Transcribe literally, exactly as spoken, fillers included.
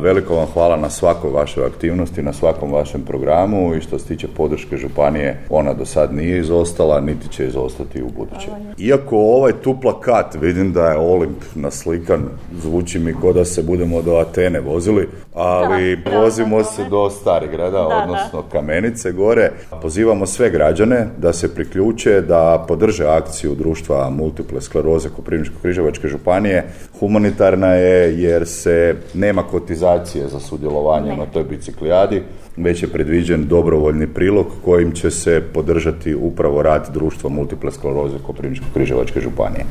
Veliko vam hvala na svakoj vašoj aktivnosti, na svakom vašem programu i što se tiče podrške županije, ona do sad nije izostala, niti će izostati u buduće. Iako ovaj tu plakat, vidim da je Olimp naslikan, zvuči mi kao da se budemo do Atene vozili, ali da, vozimo da, se do Starigrada, da, odnosno da. Kamenice gore. Pozivamo sve građane da se priključe, da podrže akciju društva multiple skleroze Koprivničko-križevačke županije. Humanitarna je jer se nema kotizacije za sudjelovanje ne. na toj biciklijadi, već je predviđen dobrovoljni prilog kojim će se podržati upravo rad društva multiple skleroze Koprivničko-križevačke županije.